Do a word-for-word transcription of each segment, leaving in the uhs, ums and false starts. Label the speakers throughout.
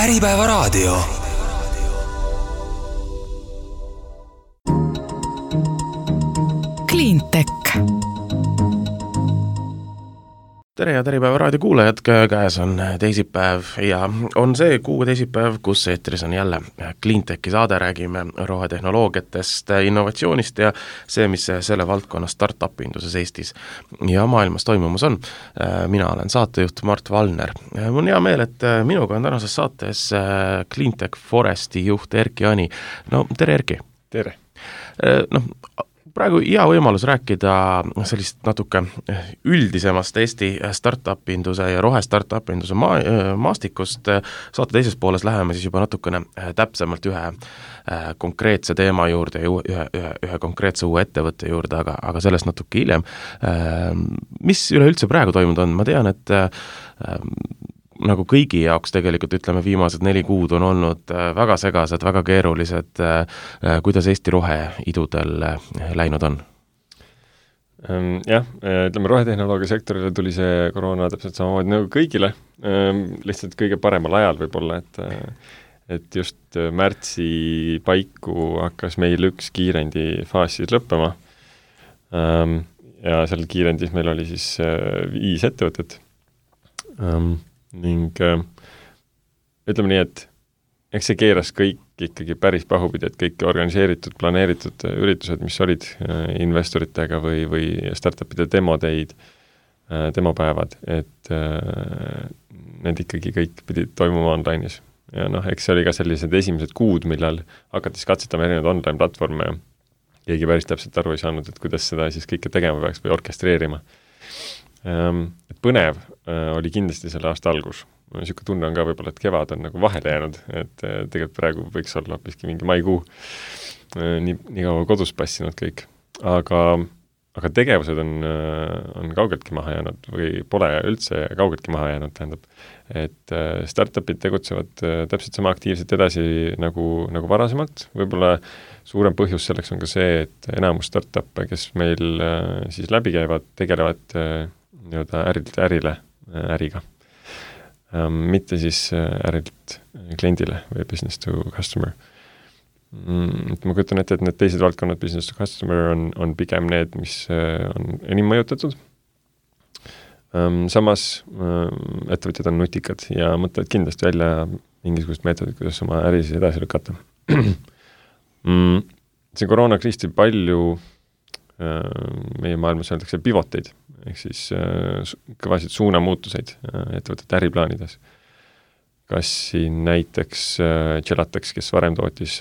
Speaker 1: Äripäevaraadio.
Speaker 2: Cleantech.
Speaker 3: Tere ja Äripäevaraadio kuulajad, käes on teisipäev ja on see kuu teisipäev, kus eetris on jälle Cleantechi saade, räägime rohetehnoloogiatest, innovatsioonist ja see, mis selle valdkonna startup-induses Eestis ja maailmas toimumas on. Mina olen saatejuht Mart Valner. Mul on hea meel, et minuga on tänases saates Cleantech Foresti juht Erki Ani. No tere Erki!
Speaker 4: Tere!
Speaker 3: No, praegu hea võimalus rääkida sellist natuke üldisemast Eesti startup-induse ja rohe startup-induse ma- maastikust. Saate teises pooles läheme siis juba natukene täpsemalt ühe konkreetse teema juurde ja ühe, ühe, ühe konkreetse uue ettevõtte juurde, aga, aga sellest natuke hiljem. Mis üleüldse praegu toimunud on? Ma tean, et nagu kõigi jaoks tegelikult ütleme viimased neli kuud on olnud väga segased, väga keerulised, kuidas Eesti roheidudel läinud on?
Speaker 4: Jah, ütleme rohetehnoloogia sektorile tuli see koroona täpselt samamoodi nagu kõigile, lihtsalt kõige paremal ajal võib-olla, et, et just märtsi paiku hakkas meil üks kiirendi faas siis lõppema ja seal kiirendis meil oli siis viis ettevõtet. Ning äh, ütleme nii, et eks see keeras kõik ikkagi päris pahupidi, et kõik organiseeritud, planeeritud üritused, mis olid äh, investoritega või, või startupide demodeid, äh, demopäevad, et äh, need ikkagi kõik pidid toimuma online'is. Ja noh, eks see oli ka sellised esimesed kuud, millal hakatis katsetama erinevad online platvorme ja keegi päris täpselt aru ei saanud, et kuidas seda siis kõike tegema peaks või orkestreerima. Et põnev oli kindlasti selle aasta algus. Niisugune tunne on ka võib-olla, et kevad on nagu vahele jäänud, et tegelikult praegu võiks olla hoopiski mingi maikuu nii, nii kaua kodus passinud kõik. Aga, aga tegevused on, on kaugeltki maha jäänud või pole üldse kaugeltki maha jäänud, tähendab. Et startupid tegutsevad täpselt sama aktiivselt edasi nagu, nagu varasemalt. Võib-olla suurem põhjus selleks on ka see, et enamus startup'e, kes meil siis läbi käivad, tegelevad nii-öelda ärilt ärile, äriga. Ähm, mitte siis ärilt kliendile või business to customer. Mm, ma kujutan ette, et need teised valdkonnad business to customer on, on pigem need, mis on enim mõjutatud. Ähm, samas ähm, ettevõtjad on nutikad ja mõtlevad kindlasti välja mingisugust meetodit, kuidas oma äri siis edasi lükata. mm, see koroonakriis tõi palju meie maailmas öeldakse pivoteid, ehk siis kõvasid suunamuutuseid ettevõtete äriplaanides. Kas siin näiteks Gelateks, kes varem tootis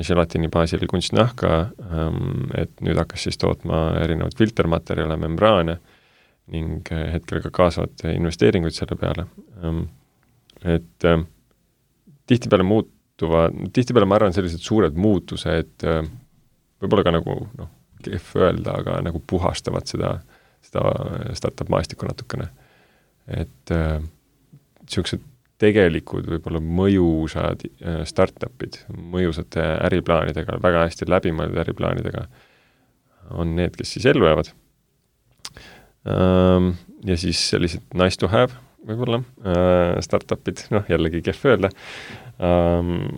Speaker 4: gelatini baasil kunstnahka, et nüüd hakkas siis tootma erinevad filtermaterjale, membraane ning hetkel ka kaasavad investeeringuid selle peale. Et tihtipeale muutuva, tihtipeale ma arvan sellised suured muutused, võib-olla ka nagu noh, kehv öelda, aga nagu puhastavad seda, seda startup maastikku natukene. Et äh, sellised tegelikud võib-olla mõjusad äh, startupid, mõjusate äriplaanidega, väga hästi läbimõeldud äriplaanidega on need, kes siis ellu jäävad. Ähm, ja siis sellised nice to have võib-olla äh, startupid, noh jällegi kehv öelda, ähm,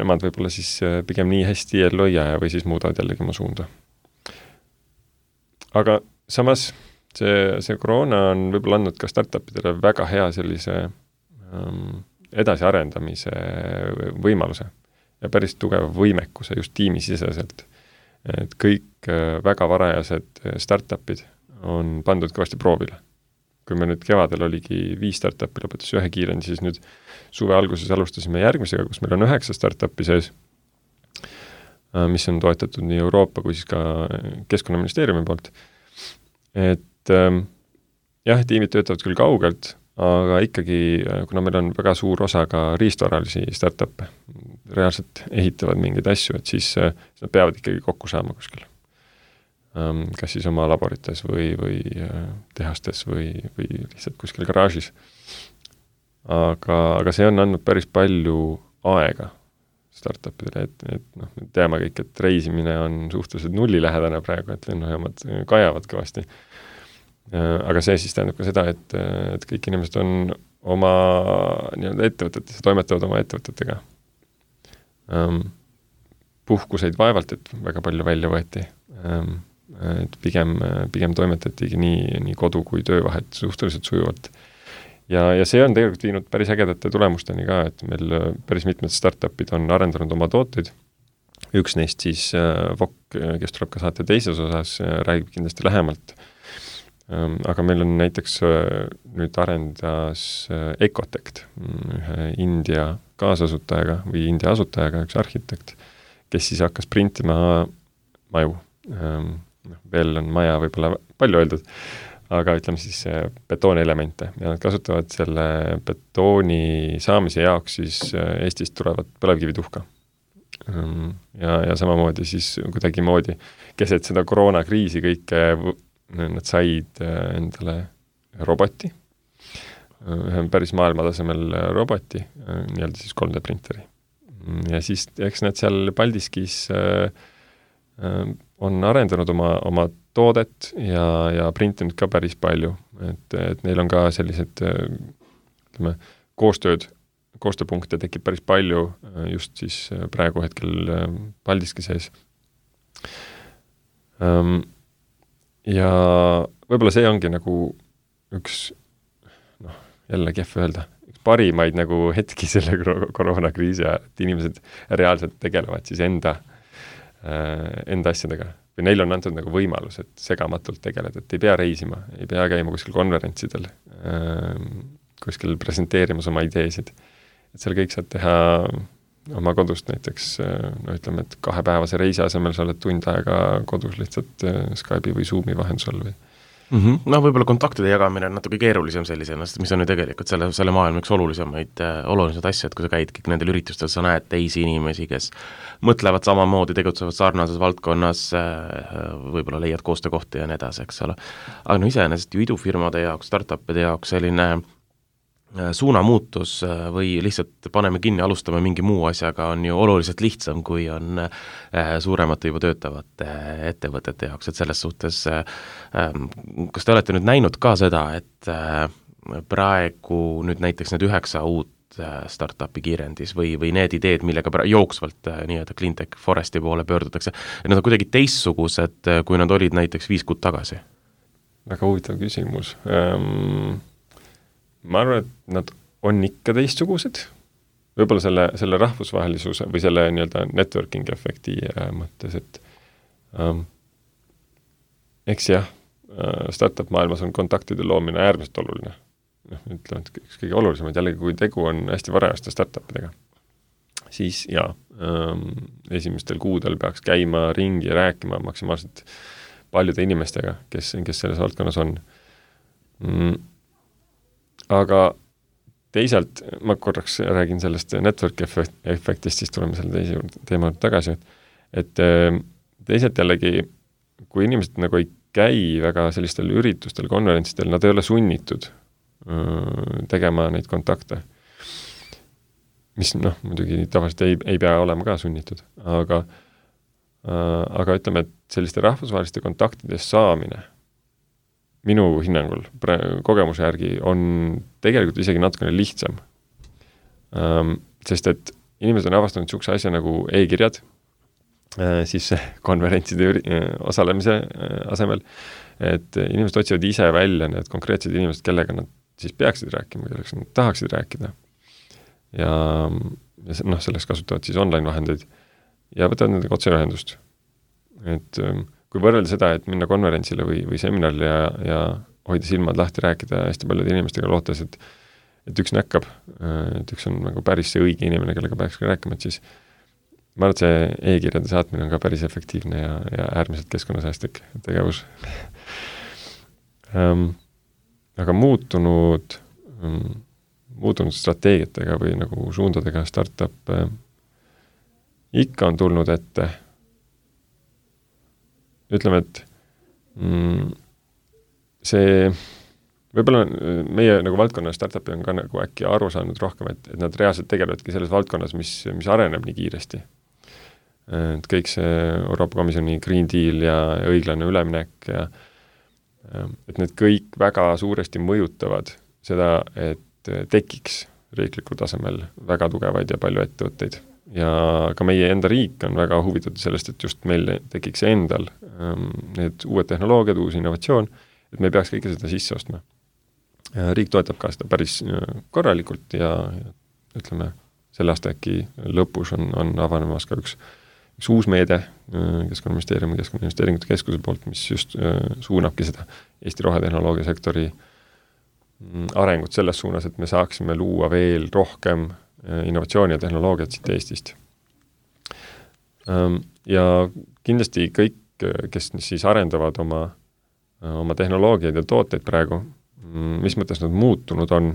Speaker 4: nemad võib-olla siis pigem nii hästi ellu ei jää või siis muudavad jällegi oma suunda. Aga samas see, see koroona on võib-olla andnud ka startupidele väga hea sellise um, edasiarendamise võimaluse ja päris tugeva võimekuse just tiimisiseselt. Et kõik uh, väga varajased startupid on pandud kõvasti proovile. Kui me nüüd kevadel oligi viis startupi lõpetas ühe kiirendi, siis nüüd suve alguses alustasime järgmisega, kus meil on üheksa startupi sees, mis on toetatud nii Euroopa kui siis ka Keskkonnaministeeriumi poolt. Et ähm, jah, tiimid töötavad küll kaugelt, aga ikkagi, kuna meil on väga suur osa ka riistvaralisi startup'e, reaalselt ehitavad mingeid asju, et siis äh, nad peavad ikkagi kokku saama kuskil. Ähm, kas siis oma laborites või, või äh, tehastes või, või lihtsalt kuskil garaažis. Aga, aga see on andnud päris palju aega startupidele, et, et noh, me teame kõik, et reisimine on suhteliselt nullilähedane praegu, et lennujaamad kajavad kõvasti. Aga see siis tähendab ka seda, et, et kõik inimesed on oma nii-öelda ettevõtetes, toimetavad oma ettevõtetega. Um, puhkuseid vaevalt, et väga palju välja võeti. Um, et pigem, pigem toimetatigi nii, nii kodu kui töövahet suhteliselt sujuvalt. Ja, ja see on tegelikult viinud päris ägedate tulemusteni ka, et meil päris mitmed startupid on arendanud oma tooteid. Üks neist siis äh, Vok, kes tuleb ka saate teises osas, äh, räägib kindlasti lähemalt. Ähm, aga meil on näiteks äh, nüüd arendas äh, Ecotect, ühe India kaasasutajaga või India asutajaga, üks arhitekt, kes siis hakkas printima maju. Ähm, veel on maja võib-olla palju öeldud, aga ütleme siis betoonelemente ja nad kasutavad selle betooni saamise jaoks siis Eestist tulevat põlevkivituhka. Ja, ja samamoodi siis kuidagi moodi keset seda koroonakriisi kõike nad said endale roboti, ühe päris maailmatasemel roboti, nii-öelda siis kolm D printeri. Ja siis eks nad seal Paldiskis on arendanud oma, oma toodet ja, ja printinud ka päris palju, et, et neil on ka sellised ütleme, koostööd, koostööpunkte tekib päris palju just siis praegu hetkel Paldiski sees. Ja võib-olla see ongi nagu üks, noh, jälle kehv öelda, üks parimaid nagu hetki selle koroonakriisi ajal, et inimesed reaalselt tegelevad siis enda enda asjadega. Või neil on antud nagu võimalus, et segamatult tegeleda, et ei pea reisima, ei pea käima kuskil konverentsidel, kuskil presenteerimas oma ideesid. Et seal kõik saad teha oma kodust näiteks, no ütleme, et kahepäevase reisi asemel sa oled tund aega kodus lihtsalt Skype'i või Zoomi vahendusel või
Speaker 3: Mm-hmm. No võib-olla kontaktide jagamine on natuke keerulisem sellisena, mis on ju tegelikult selle, selle maailma üks olulisemaid, olulisemaid asju, et kui sa käid kõik nendel üritustel, sa näed teisi inimesi, kes mõtlevad samamoodi, tegutsevad sarnases valdkonnas, võib-olla leiad koostöökohti ja nii edasi, eks ole. Aga no iseenesest ju idufirmade jaoks, startupide jaoks selline suunamuutus või lihtsalt paneme kinni, alustame mingi muu asjaga, on ju oluliselt lihtsam, kui on suuremate juba töötavate ettevõtete jaoks, et selles suhtes kas te olete nüüd näinud ka seda, et praegu nüüd näiteks need üheksa uut startupi kiirendis või, või need ideed, millega pra- jooksvalt nii-öelda Cleantech Foresti poole pöördutakse, et nad on kuidagi teistsugused, kui nad olid näiteks viis kuud tagasi?
Speaker 4: Väga huvitav küsimus. Um... ma arvan, et nad on ikka teistsugused, võib-olla selle, selle rahvusvahelisuse või selle nii-öelda networking efekti äh, mõttes, et ähm, eks jah, äh, startup maailmas on kontaktide loomine äärmiselt oluline. noh, ütleme, et üks kõige olulisemaid, jällegi kui tegu on hästi varajaste startupidega, siis jaa, ähm, esimestel kuudel peaks käima ringi ja rääkima maksimaalselt paljude inimestega, kes, kes selles valdkonnas on. Mm. Aga teisalt, ma korraks räägin sellest network efektist, siis tuleme selle teise teema tagasi, et, et teisalt jällegi, kui inimesed nagu ei käi väga sellistel üritustel, konverentsidel, nad ei ole sunnitud öö, tegema neid kontakte, mis noh, muidugi tavaliselt ei, ei pea olema ka sunnitud, aga, öö, aga ütleme, et selliste rahvusvaheliste kontaktide saamine minu hinnangul kogemuse järgi on tegelikult isegi natukene lihtsam. Um, sest et inimesed on avastanud niisuguse asja nagu e-kirjad, äh, siis konverentside üri-, osalemise äh, asemel, et inimesed otsivad ise välja need konkreetsed inimesed, kellega nad siis peaksid rääkima, kelleks nad tahaksid rääkida. Ja, ja noh, selleks kasutavad siis online vahendeid ja võtavad nendega otseühendust. Et um, kui võrrelda seda, et minna konverentsile või, või seminarile ja, ja hoida silmad lahti, rääkida hästi paljude inimestega, lootes, et, et üks näkkab, et üks on nagu päris see õige inimene, kellega peaks ka rääkima, et siis ma arvan, et see e-kirjade saatmine on ka päris efektiivne ja, ja äärmiselt keskkonnasäästlik tegevus. um, aga muutunud, um, muutunud strateegiatega või nagu suundadega startup uh, ikka on tulnud ette. Ütleme, et mm, see, võib-olla meie nagu valdkonna startupi on ka nagu äkki aru saanud rohkem, et, et nad reaalselt tegelevadki selles valdkonnas, mis, mis areneb nii kiiresti. Et kõik see Euroopa Komisjoni Green Deal ja õiglane üleminek ja et need kõik väga suuresti mõjutavad seda, et tekiks riiklikul tasemel väga tugevaid ja palju ettevõtteid. Ja ka meie enda riik on väga huvitatud sellest, et just meil tekiks endal ähm, need uued tehnoloogiad, uus innovatsioon, et me ei peaks kõike seda sisse ostma. Riik toetab ka seda päris korralikult ja, ja ütleme, selle aasta äkki lõpus on, on avanemas ka üks, üks uus meede Keskkonnaministeeriumi Keskkonnainvesteeringute Keskuse poolt, mis just suunabki seda Eesti rohetehnoloogia sektori arengut selles suunas, et me saaksime luua veel rohkem innovatsiooni ja tehnoloogiat siit Eestist. Ja kindlasti kõik, kes siis arendavad oma, oma tehnoloogiaid ja tooteid praegu, mis mõttes nad muutunud on,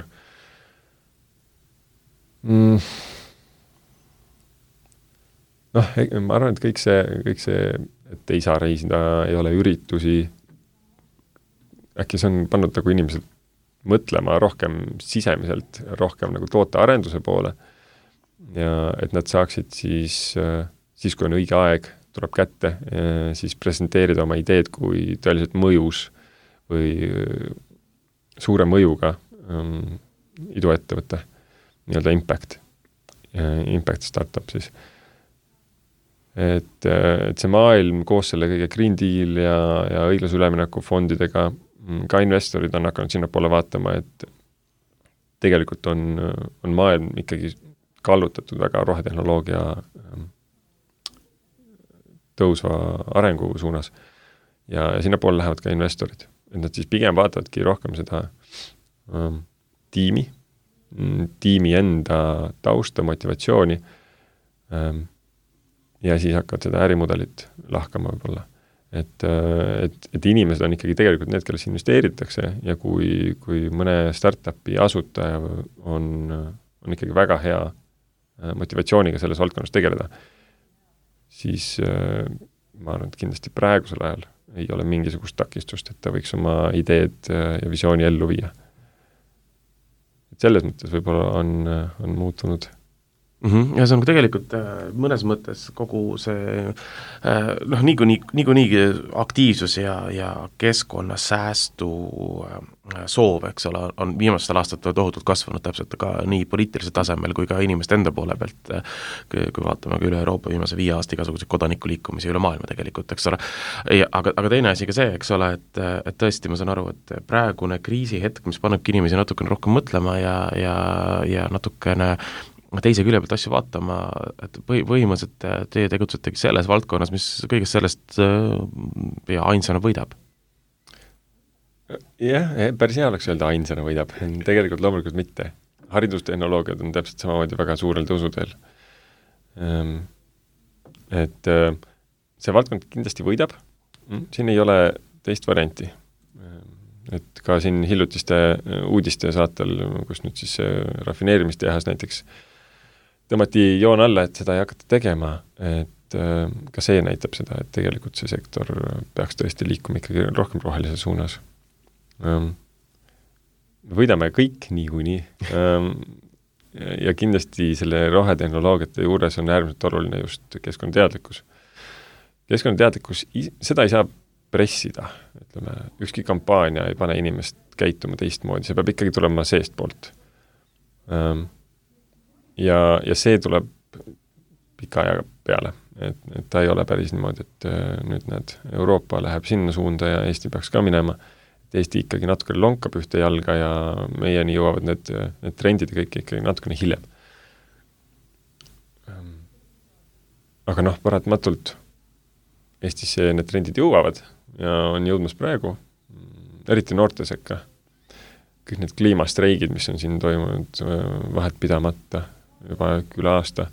Speaker 4: noh, ma arvan, et kõik see, kõik see, et ei saa reisida, ei ole üritusi, äkki see on pannud nagu inimesed mõtlema rohkem sisemiselt, rohkem nagu tootearenduse poole ja et nad saaksid siis, siis kui on õige aeg, tuleb kätte, siis presenteerida oma ideed kui tõeliselt mõjus või suure mõjuga um, iduettevõte, nii-öelda impact, impact startup siis. Et, et see maailm koos selle kõige Green Deal ja, ja õiglase ülemineku fondidega ka investorid on hakanud sinna poole vaatama, et tegelikult on, on maailm ikkagi kallutatud väga rohetehnoloogia tõusva arengu suunas ja, ja sinna poole lähevad ka investorid. Et nad siis pigem vaatavadki rohkem seda um, tiimi, tiimi enda tausta, motivatsiooni um, ja siis hakkavad seda ärimudelit lahkama võib-olla. Et, et, et inimesed on ikkagi tegelikult need, kelles investeeritakse ja kui, kui mõne startupi asutaja on, on ikkagi väga hea motivatsiooniga selles valdkonnas tegeleda, siis ma arvan, et kindlasti praegusel ajal ei ole mingisugust takistust, et ta võiks oma ideed ja visiooni ellu viia. Et selles mõttes võib-olla on, on muutunud.
Speaker 3: Mm-hmm. Ja see on tegelikult mõnes mõttes kogu see noh, niikuinii, niikuinii aktiivsus ja, ja keskkonnasäästu soov, eks ole, on viimastel aastatel tohutult kasvanud täpselt ka nii poliitilisel tasemel kui ka inimeste enda poole pealt, kui, kui vaatame ka üle Euroopa viimase viie aasta igasuguseid kodanikuliikumisi üle maailma tegelikult, eks ole. Ja, aga, aga teine asi ka see, eks ole, et, et tõesti ma saan aru, et praegune kriisihetk, mis panebki inimesi natukene rohkem mõtlema ja, ja, ja natukene teise külje pealt asju vaatama, et põhi, põhimõtteliselt teie tegutsetegi selles valdkonnas, mis kõigest sellest ja ainsana võidab.
Speaker 4: Jah, päris hea oleks öelda ainsana võidab. Tegelikult loomulikult mitte. Haridustehnoloogiad on täpselt samamoodi väga suurel tõusuteel. Et see valdkond kindlasti võidab. Siin ei ole teist varianti. Et ka siin hiljutiste uudiste saatel, kus nüüd siis rafineerimistehas näiteks tõmmati joon alla, et seda ei hakata tegema, et äh, ka see näitab seda, et tegelikult see sektor peaks tõesti liikuma ikkagi rohkem rohelise suunas. Ähm, võidame kõik niikuinii ähm, ja kindlasti selle rohetehnoloogiate juures on äärmiselt oluline just keskkonnateadlikkus. Keskkonnateadlikkus, seda ei saa pressida, ütleme, ükski kampaania ei pane inimest käituma teistmoodi, see peab ikkagi tulema seest poolt. Ähm, Ja, ja see tuleb pika ajaga peale, et, et ta ei ole päris niimoodi, et nüüd näed, Euroopa läheb sinna suunda ja Eesti peaks ka minema, et Eesti ikkagi natukene lonkab ühte jalga ja meieni jõuavad need, need trendid ja kõik ikkagi natukene hiljem. Aga noh, paratamatult Eestisse need trendid jõuavad ja on jõudmas praegu, eriti noorte sekka. Kõik need kliimastreigid, mis on siin toimunud vahet pidamata, juba üle aasta.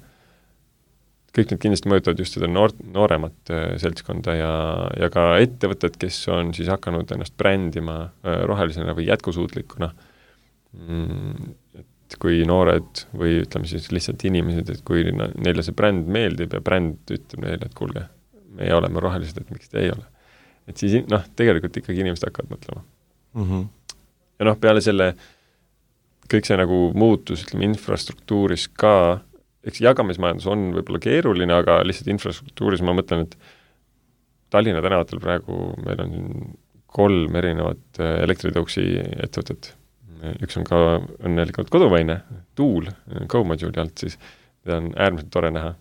Speaker 4: Kõik need kindlasti mõjutavad just seda noor, nooremat seltskonda ja, ja ka ettevõtted, kes on siis hakanud ennast brändima rohelisena või jätkusuutlikuna. Et kui noored või ütleme siis lihtsalt inimesed, et kui neile see bränd meeldib ja bränd ütleb neile, et kuulge, meie oleme rohelised, et miks te ei ole. Et siis noh, tegelikult ikkagi inimesed hakkavad mõtlema. Mm-hmm. Ja noh, peale selle kõik see nagu muutus, ütleme, infrastruktuuris ka, eks jagamismajandus on võib-olla keeruline, aga lihtsalt infrastruktuuris ma mõtlen, et Tallinna tänavatel praegu meil on kolm erinevat elektritõuksi ettevõtet. üks on ka õnnelikult kodumaine, Tuul, GoModule'i alt siis, mida on äärmiselt tore näha.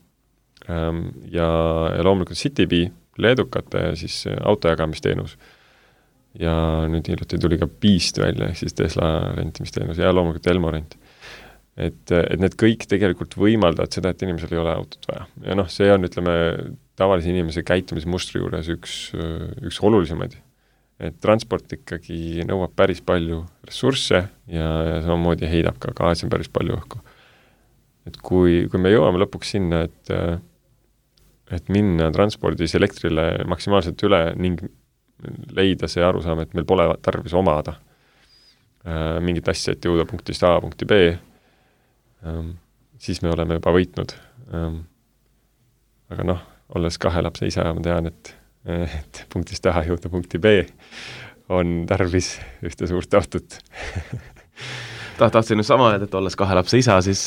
Speaker 4: Ja, ja loomulikult CityBee, leedukate siis autojagamisteenus. Ja nüüd hiljuti tuli ka Beast välja, ehk siis Tesla rentimisteenus ja loomulikult Elmo rent. Et, et need kõik tegelikult võimaldavad seda, et inimesel ei ole autot vaja. Ja noh, see on, ütleme, tavalise inimese käitumismustri juures üks, üks olulisemaid. Et transport ikkagi nõuab päris palju ressursse ja, ja samamoodi heidab ka gaasi päris palju õhku. Et kui, kui me jõuame lõpuks sinna, et, et minna transpordis elektrile maksimaalselt üle ning leida see arusaam, et meil pole tarvis omada äh, mingit asja, et jõuda punktist A punkti B, ähm, siis me oleme juba võitnud. Ähm, aga noh, olles kahe lapse isa, ma tean, et, et punktist A jõuda punkti B on tarvis ühte suurt autot.
Speaker 3: Ta, tahtsin just sama öelda, et olles kahe lapse isa, siis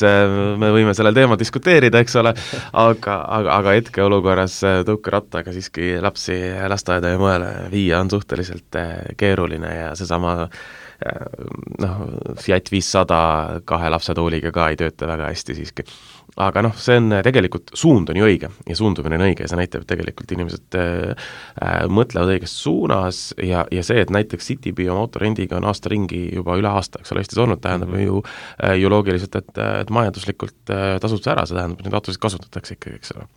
Speaker 3: me võime sellel teema diskuteerida, eks ole, aga, aga, aga hetke olukorras tõukerattaga siiski lapsi lasteaeda ja mõele viia on suhteliselt keeruline ja seesama noh, Fiat viissada kahe lapsetooliga ka ei tööta väga hästi siiski. Aga noh, see on tegelikult, suund on ju õige ja suundumine on õige ja see näitab, et tegelikult inimesed äh, mõtlevad õiges suunas ja, ja see, et näiteks CityBee oma autorendiga on aasta ringi juba üle aasta, eks ole, Eestis olnud, tähendab mm-hmm. ju, äh, ju loogiliselt, et, et majanduslikult äh, tasub see ära, see tähendab, et neid autosid kasutatakse ikkagi, eks ole.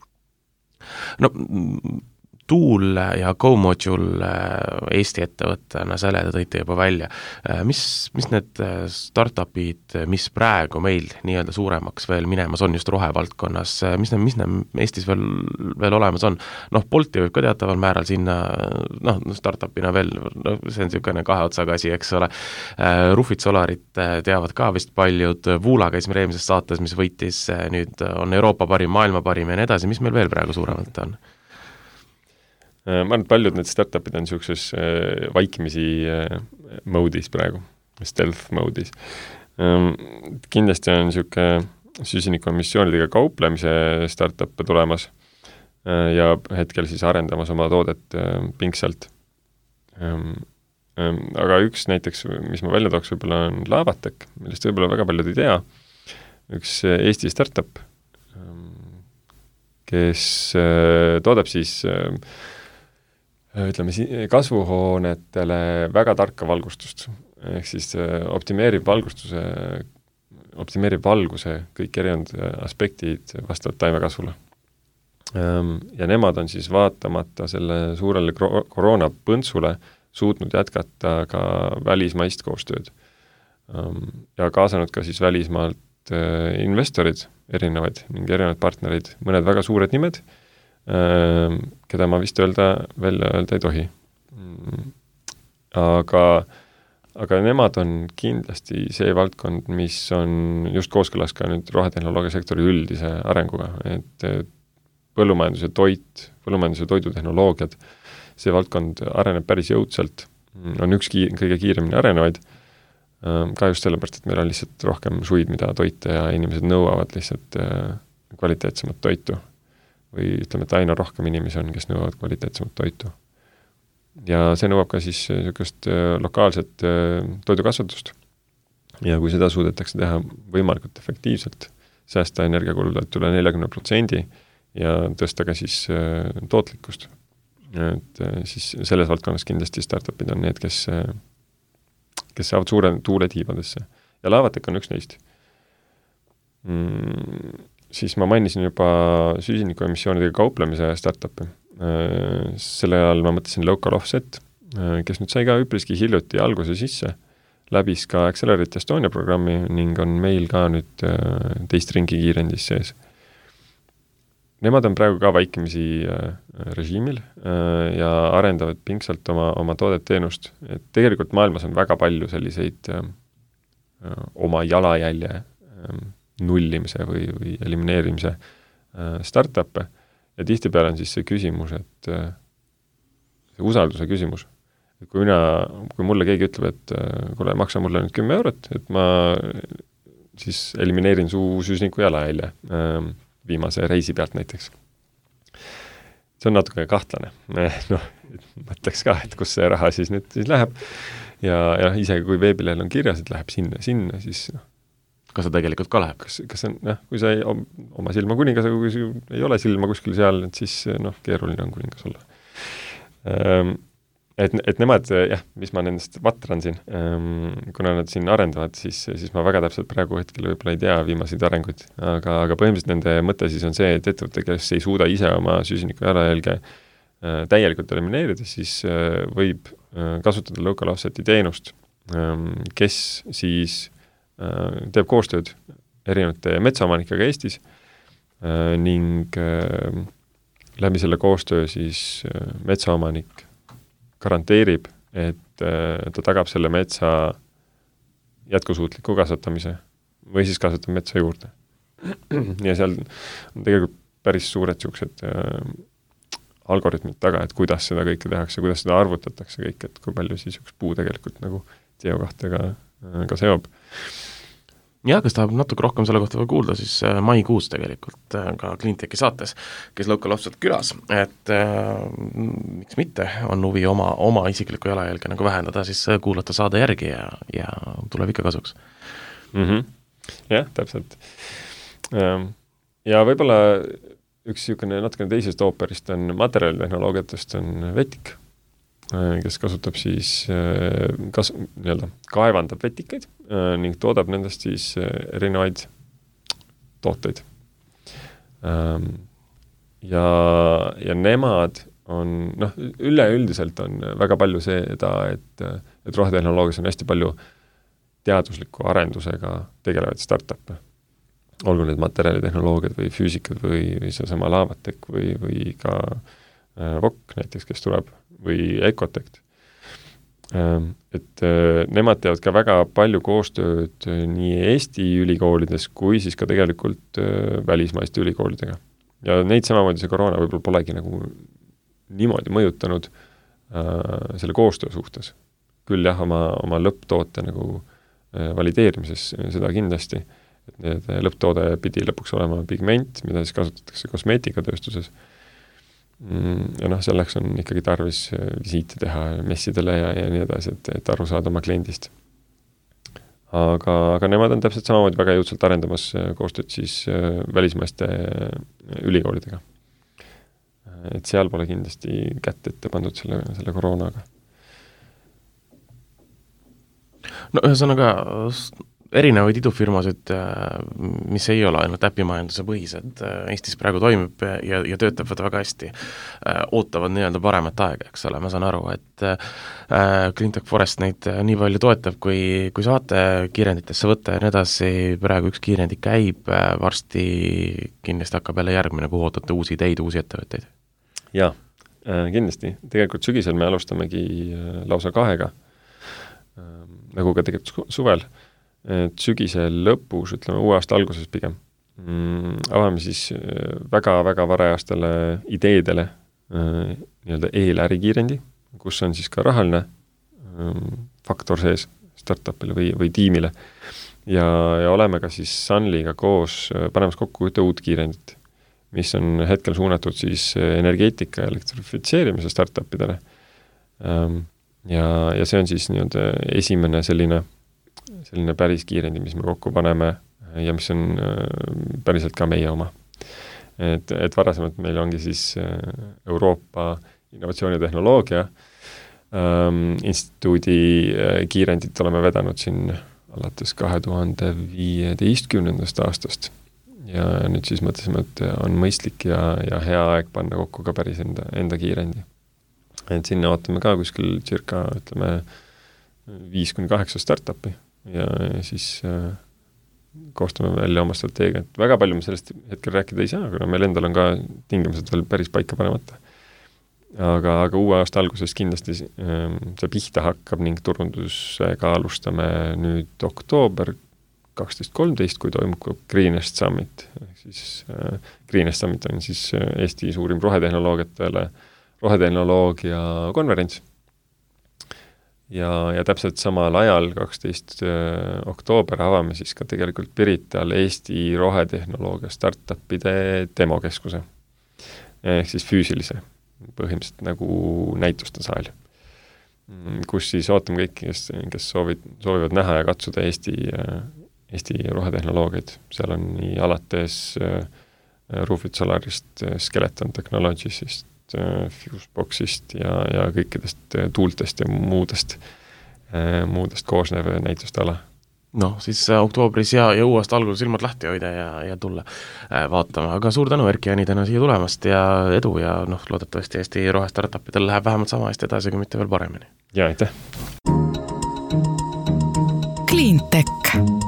Speaker 3: No Tuul ja GoModule Eesti ettevõttena, selle te tõite juba välja. Mis, mis need startupid, mis praegu meil nii-öelda suuremaks veel minemas on just rohevaldkonnas, mis need, mis need Eestis veel, veel olemas on? Noh, Bolti võib ka teataval määral sinna, noh, startupina veel, no, see on niisugune kahe otsaga asi, eks ole. Rufit Solarit teavad ka vist paljud, Vuula käis meil eelmises saates, mis võitis, nüüd on Euroopa parim, maailma parim ja nii edasi, mis meil veel praegu suuremalt on?
Speaker 4: Ma arvan, et paljud need startupid on niisuguses vaikimisi mode'is praegu, stealth mode'is. Kindlasti on niisugune süsinikuemissioonidega kauplemise startup tulemas ja hetkel siis arendamas oma toodet pingsalt. Aga üks näiteks, mis ma välja tooks, võib-olla on Lavatec, millest võib-olla väga paljud ei tea. Üks Eesti startup, kes toodab siis ütleme, kasvuhoonetele väga tarka valgustust, ehk siis optimeerib valgustuse, optimeerib valguse kõik erinevad aspektid vastavalt taimekasvule. Ja nemad on siis vaatamata selle suurele koroonapõntsule suutnud jätkata ka välismaist koostööd. Ja kaasanud ka siis välismaalt investorid, erinevaid, mingi erinevad partnerid, mõned väga suured nimed, keda ma vist öelda, välja öelda ei tohi. Aga, aga nemad on kindlasti see valdkond, mis on just kooskõlas ka nüüd rohetehnoloogia sektori üldise arenguga, et põllumajanduse toit, põllumajanduse toidutehnoloogiad, see valdkond areneb päris jõudsalt, on üks ki- kõige kiiremini arenevaid, ka just sellepärast, et meil on lihtsalt rohkem suid, mida toita ja inimesed nõuavad lihtsalt kvaliteetsemat toitu. Või ütleme, et aina rohkem inimesi on, kes nõuavad kvaliteetsemat toitu. Ja see nõuab ka siis niisugust lokaalset toidukasvatust. Ja kui seda suudetakse teha võimalikult efektiivselt, säästa energiakuludelt üle neljakümne protsendi ja tõsta ka siis tootlikkust, et siis selles valdkonnas kindlasti startupid on need, kes, kes saavad suure tuule tiibadesse. Ja Lavatec on üks neist. Mm. Siis ma mainisin juba süsinikuemissioonidega kauplemise startupi. Selle ajal ma mõtlesin Local Offset, kes nüüd sai ka üpriski hiljuti alguse sisse, läbis ka Accelerate Estonia programmi ning on meil ka nüüd teist ringi kiirendis sees. Nemad on praegu ka vaikimisi režiimil ja arendavad pingsalt oma, oma toodet teenust. Et tegelikult maailmas on väga palju selliseid oma jalajälje nullimise või, või elimineerimise startup'e ja tihtipeale on siis see küsimus, et see usalduse küsimus. Et kui mina, kui mulle keegi ütleb, et kuule, maksa mulle nüüd kümme eurot, et ma siis elimineerin su süsniku jalajälje viimase reisi pealt näiteks. See on natuke kahtlane. Noh, mõtleks ka, et kus see raha siis nüüd siis läheb. ja, ja isegi kui veebilehel on kirjas, et läheb sinna, sinna, siis noh,
Speaker 3: kas see tegelikult ka läheb?
Speaker 4: Kas, kas see on, noh, kui sa ei, oma silma kuningas, aga kui ei ole silma kuskil seal, et siis noh, keeruline on kuningas olla. Ähm, et, et nemad, jah, mis ma nendest vatran siin, ähm, kuna nad siin arendavad, siis, siis ma väga täpselt praegu hetkel võib-olla ei tea viimaseid arenguid, aga, aga põhimõtteliselt nende mõte siis on see, et ettevõte, kes ei suuda ise oma süsiniku jalajälge äh, täielikult elimineerida, siis äh, võib äh, kasutada local offset'i teenust, ähm, kes siis äh, teeb koostööd erinevate metsaomanikega Eestis äh, ning äh, läbi selle koostöö siis äh, metsaomanik garanteerib, et äh, ta tagab selle metsa jätkusuutliku kasvatamise või siis kasvatab metsa juurde. Ja seal on tegelikult päris suured niisugused äh, algoritmid taga, et kuidas seda kõike tehakse, kuidas seda arvutatakse kõik, et kui palju siis üks puu tegelikult nagu C O kahtega äh, ka seob.
Speaker 3: Ja, kes tahab natuke rohkem selle kohta kuulda, siis maikuus tegelikult ka Cleantechi saates, kes Local Offset külas, et äh, miks mitte, on huvi oma, oma isiklikku jalajälge nagu vähendada, siis kuulata saade järgi ja, ja tuleb ikka kasuks.
Speaker 4: Mm-hmm. Jah, täpselt. Ja võib-olla üks niisugune natukene teisest ooperist on materjalitehnoloogiatest on Vetik, kes kasutab siis, kas, nii-öelda, kaevandab vetikaid ning toodab nendest siis erinevaid tooteid. Ja, ja nemad on, noh, üleüldiselt on väga palju seda, et, et rohetehnoloogias on hästi palju teadusliku arendusega tegelevaid startup'e. Olgu need materjalitehnoloogiad või füüsikad või, või seesama Lavatek või, või ka V O K näiteks, kes tuleb, või Ecotect. Et nemad teevad ka väga palju koostööd nii Eesti ülikoolides kui siis ka tegelikult välismaiste ülikoolidega. Ja neid samamoodi see koroona võib-olla polegi nagu niimoodi mõjutanud äh, selle koostöö suhtes. Küll jah, oma, oma lõpptoote nagu äh, valideerimises seda kindlasti, et need lõpptoode pidi lõpuks olema pigment, mida siis kasutatakse kosmeetikatööstuses. Ja noh, selleks on ikkagi tarvis visiite teha messidele ja, ja nii edasi, et, et aru saada oma kliendist. Aga, aga nemad on täpselt samamoodi väga jõudsalt arendamas koostööd siis välismaiste ülikoolidega. Et seal pole kindlasti kätt ette pandud selle, selle koroonaga.
Speaker 3: No ühesõnaga erinevaid idufirmasid, mis ei ole ainult äpimajanduse põhised, Eestis praegu toimib ja, ja töötavad väga hästi, ootavad nii-öelda paremat aega, eks ole, ma saan aru, et Cleantech Forest neid nii palju toetab, kui, kui saate kiirenditesse võtta ja nii edasi, praegu üks kiirendi käib, varsti kindlasti hakkab jälle järgmine, kuhu ootate uusi ideid, uusi ettevõtteid.
Speaker 4: Jaa, kindlasti. Tegelikult sügisel me alustamegi lausa kahega, nagu ka tegelikult suvel, et sügisel lõpus, ütleme uue aasta alguses pigem, mm, avame siis väga-väga varajastele ideedele äh, nii-öelda eelärikiirendi, kus on siis ka rahaline äh, faktor sees startupile või, või tiimile. Ja, ja oleme ka siis Sunliga koos panemas kokku ühte uut kiirendit, mis on hetkel suunatud siis energeetika ja elektrifitseerimise startupidele. Ähm, ja, ja see on siis nii-öelda esimene selline selline päris kiirendi, mis me kokku paneme ja mis on päriselt ka meie oma. Et, et varasemalt meil ongi siis Euroopa innovatsiooni ja tehnoloogia ähm, instituudi kiirendit oleme vedanud siin alates kahe tuhande viieteistkümnendast aastast. Ja nüüd siis mõtlesime, et on mõistlik ja, ja hea aeg panna kokku ka päris enda, enda kiirendi. Et sinna ootame ka kuskil circa, ütleme, viis kuni kaheksa startupi ja siis äh, koostame välja oma strateegiat. Väga palju me sellest hetkel rääkida ei saa, kuna meil endal on ka tingimused veel päris paika panemata. Aga, aga uue aasta alguses kindlasti äh, see pihta hakkab ning turundusega alustame nüüd oktoober kaksteist kolmteist, kui toimub Greenest Summit. Siis, äh, Greenest Summit on siis Eesti suurim rohetehnoloogiatele, rohetehnoloogia konverents. Ja, ja täpselt samal ajal, kaksteist oktoober, avame siis ka tegelikult Pirital Eesti rohetehnoloogia startupide demokeskuse. Ehk siis füüsilise, põhimõtteliselt nagu näituste saal. kus siis ootame kõiki, kes, kes soovid, soovivad näha ja katsuda Eesti, Eesti rohetehnoloogiaid. Seal on nii alates Roofit Solarist, Skeleton Technologiesist, Fuseboxist ja, ja kõikidest tuultest ja muudest, muudest koosnev näituste ala.
Speaker 3: No, siis oktoobris ja, ja uuest algul silmad lahti hoida ja, ja tulla vaatama. Aga suur tänu, Erki, Jaanidena siia tulemast ja edu ja noh, loodetavasti Eesti rohestartupidel läheb vähemalt sama hästi edasi, kui mitte veel paremini.
Speaker 4: Ja, aitäh!
Speaker 1: Cleantech.